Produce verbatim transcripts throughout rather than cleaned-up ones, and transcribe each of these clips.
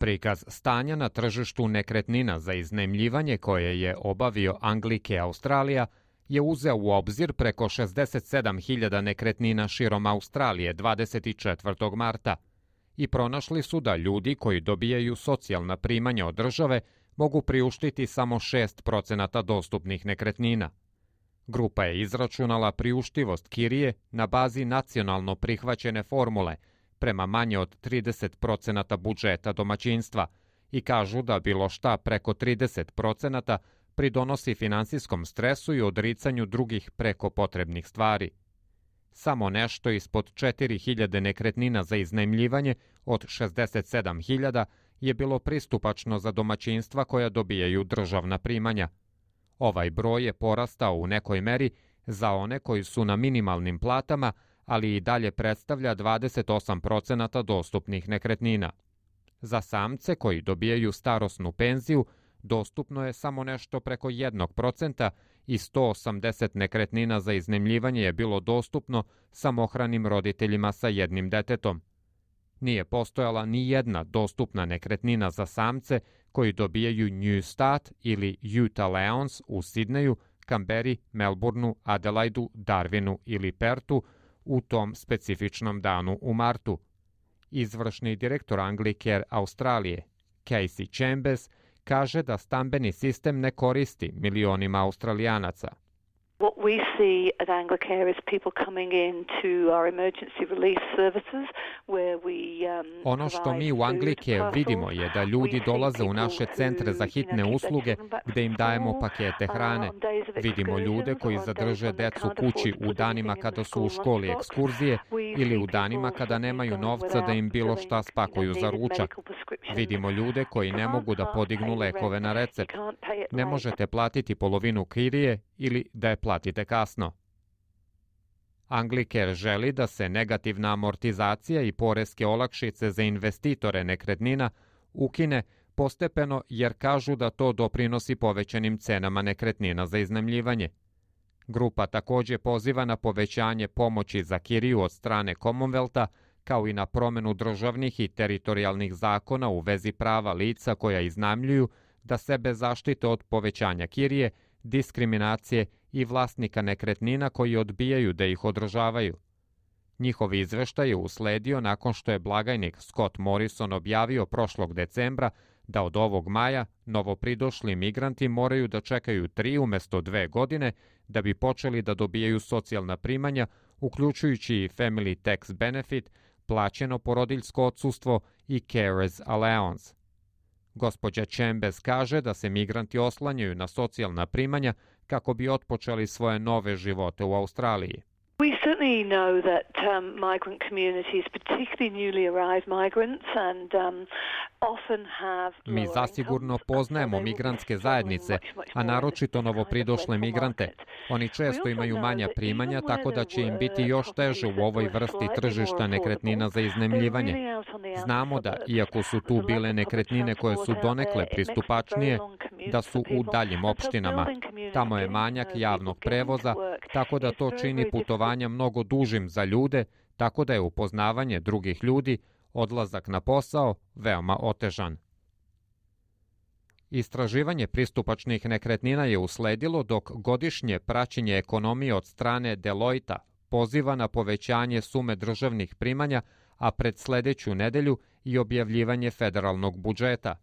Prikaz stanja na tržištu nekretnina za iznajmljivanje koje je obavio Anglicare Australija je uzeo u obzir preko šezdeset sedam hiljada nekretnina širom Australije dvadeset četvrtog marta i pronašli su da ljudi koji dobijaju socijalna primanja od države mogu priuštiti samo šest procenata dostupnih nekretnina. Grupa je izračunala priuštivost kirije na bazi nacionalno prihvaćene formule prema manje od trideset procenata budžeta domaćinstva i kažu da bilo šta preko trideset procenata pridonosi finansijskom stresu i odricanju drugih preko potrebnih stvari. Samo nešto ispod četiri hiljade nekretnina za iznajmljivanje od šezdeset sedam hiljada je bilo pristupačno za domaćinstva koja dobijaju državna primanja. Ovaj broj je porastao u nekoj meri za one koji su na minimalnim platama, ali i dalje predstavlja dvadeset osam procenata dostupnih nekretnina. Za samce koji dobijaju starosnu penziju dostupno je samo nešto preko jednog procenta i sto osamdeset nekretnina za iznajmljivanje je bilo dostupno samohranim roditeljima sa jednim detetom. Nije postojala ni jedna dostupna nekretnina za samce koji dobijaju Newstat ili Utah Leons u Sidneju, Kamberi, Melbourneu, Adelaidu, Darwinu ili Pertu u tom specifičnom danu u martu. Izvršni direktor Anglicare Australije, Casey Chambers, kaže da stambeni sistem ne koristi milionima Australijanaca. What we see at Anglicare is people coming in to our emergency relief services where we um, Ono što mi u Anglicare vidimo je da ljudi dolaze u naše centre za hitne usluge gde im dajemo pakete hrane. Vidimo ljude koji zadrže decu kući u danima kada su u školi ekskurzije ili u danima kada nemaju novca da im bilo šta spakuju za ručak. Vidimo ljude koji ne mogu da podignu lekove na recept. Ne možete platiti polovinu kirije ili da je platite kasno. Anglicare želi da se negativna amortizacija i poreske olakšice za investitore nekretnina ukine postepeno jer kažu da to doprinosi povećanim cenama nekretnina za iznajmljivanje. Grupa takođe poziva na povećanje pomoći za kiriju od strane Commonwealtha, kao i na promenu državnih i teritorijalnih zakona u vezi prava lica koja iznajmljuju da sebe zaštite od povećanja kirije, diskriminacije i vlasnika nekretnina koji odbijaju da ih održavaju. Njihov izveštaj je usledio nakon što je blagajnik Scott Morrison objavio prošlog decembra da od ovog maja novopridošli migranti moraju da čekaju tri umesto dve godine da bi počeli da dobijaju socijalna primanja, uključujući i Family Tax Benefit, plaćeno porodiljsko odsustvo i Carers Allowance. Gospođa Chambers kaže da se migranti oslanjaju na socijalna primanja kako bi otpočeli svoje nove živote u Australiji. We certainly know that um, migrant communities, particularly newly arrived migrants, and um, often have. Mi zasigurno poznajemo migrantske zajednice, a naročito novopridošle migrante. Oni često imaju manja primanja, tako da će im biti još teže u ovoj vrsti tržišta nekretnina za iznajmljivanje. Znamo da, iako su tu bile nekretnine koje su donekle pristupačnije, da su u daljim opštinama. Tamo je manjak javnog prevoza, tako da to čini putovanja mnogo dužim za ljude, tako da je upoznavanje drugih ljudi, odlazak na posao, veoma otežan. Istraživanje pristupačnih nekretnina je usledilo dok godišnje praćenje ekonomije od strane Deloitta poziva na povećanje sume državnih primanja, a pred sledeću nedelju i objavljivanje federalnog budžeta.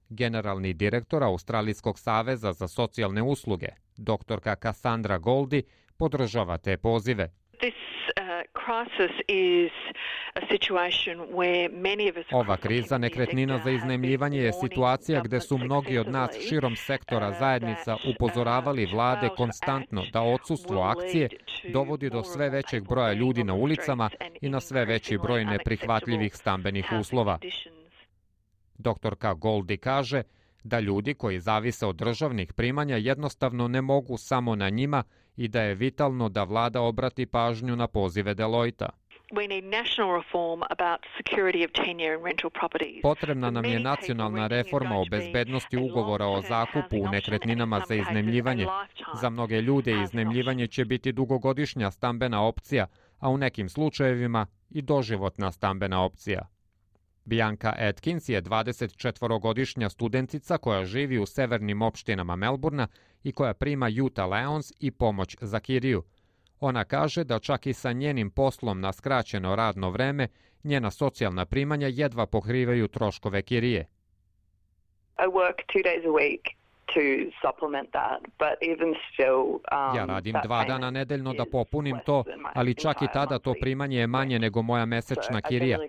Generalni direktor Australijskog saveza za socijalne usluge, doktorka Cassandra Goldie, podržava te pozive. Ova kriza nekretnina za iznajmljivanje je situacija gde su mnogi od nas širom sektora zajednica upozoravali vlade konstantno da odsustvo akcije dovodi do sve većeg broja ljudi na ulicama i na sve veći broj neprihvatljivih stambenih uslova. Doktorka Goldie kaže da ljudi koji zavise od državnih primanja jednostavno ne mogu samo na njima i da je vitalno da vlada obrati pažnju na pozive Deloitta. Potrebna nam je nacionalna reforma o bezbednosti ugovora o zakupu u nekretninama za iznajmljivanje. Za mnoge ljude iznajmljivanje će biti dugogodišnja stambena opcija, a u nekim slučajevima i doživotna stambena opcija. Bianca Atkins je dvadesetčetvorogodišnja studentica koja živi u severnim opštinama Melburna i koja prima Youth Allowance i pomoć za kiriju. Ona kaže da čak i sa njenim poslom na skraćeno radno vreme, njena socijalna primanja jedva pokrivaju troškove kirije. I work two days a week to supplement that, but even still, um, ja radim dva dana nedeljno da popunim to, ali čak i tada to primanje je manje nego moja mesečna kirija.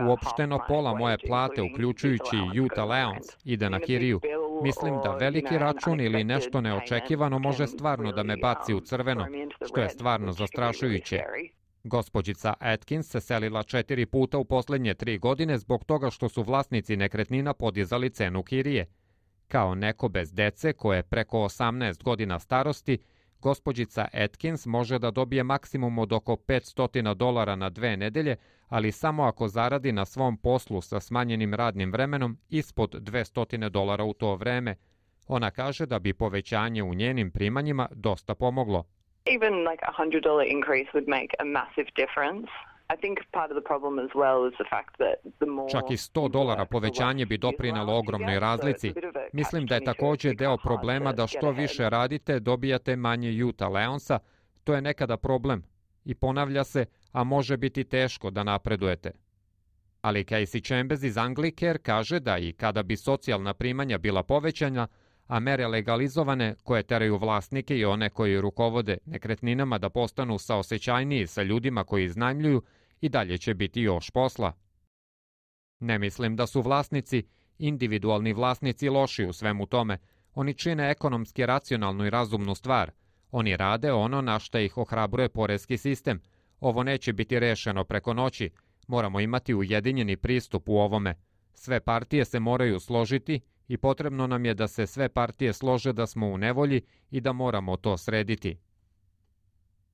Uopšteno pola moje plate, uključujući Youth Allowance, ide na kiriju. Mislim da veliki račun ili nešto neočekivano može stvarno da me baci u crveno, što je stvarno zastrašujuće. Gospođica Atkins se selila četiri puta u posljednje tri godine zbog toga što su vlasnici nekretnina podizali cenu kirije. Kao neko bez dece koje je preko osamnaest godina starosti, gospođica Atkins može da dobije maksimum od oko petsto dolara na dve nedelje, ali samo ako zaradi na svom poslu sa smanjenim radnim vremenom ispod dvesta dolara u to vreme. Ona kaže da bi povećanje u njenim primanjima dosta pomoglo. Even like a one hundred dollar increase would make a massive difference. I think part of the problem as well is the fact that the more Čak i sto dolara povećanje bi doprinelo ogromnoj razlici. Mislim da je također deo problema da što više radite, dobijate manje Youth Allowance-a. To je nekada problem i ponavlja se, a može biti teško da napredujete. Ali Casey Chambers iz Anglicare kaže da i kada bi socijalna primanja bila povećana, a mere legalizovane koje teraju vlasnike i one koji rukovode nekretninama da postanu saosećajniji sa ljudima koji iznajmljuju, i dalje će biti još posla. Ne mislim da su vlasnici, individualni vlasnici, loši u svemu tome. Oni čine ekonomski racionalnu i razumnu stvar. Oni rade ono na što ih ohrabruje poreski sistem. Ovo neće biti rešeno preko noći. Moramo imati ujedinjeni pristup u ovome. Sve partije se moraju složiti i potrebno nam je da se sve partije slože da smo u nevolji i da moramo to srediti.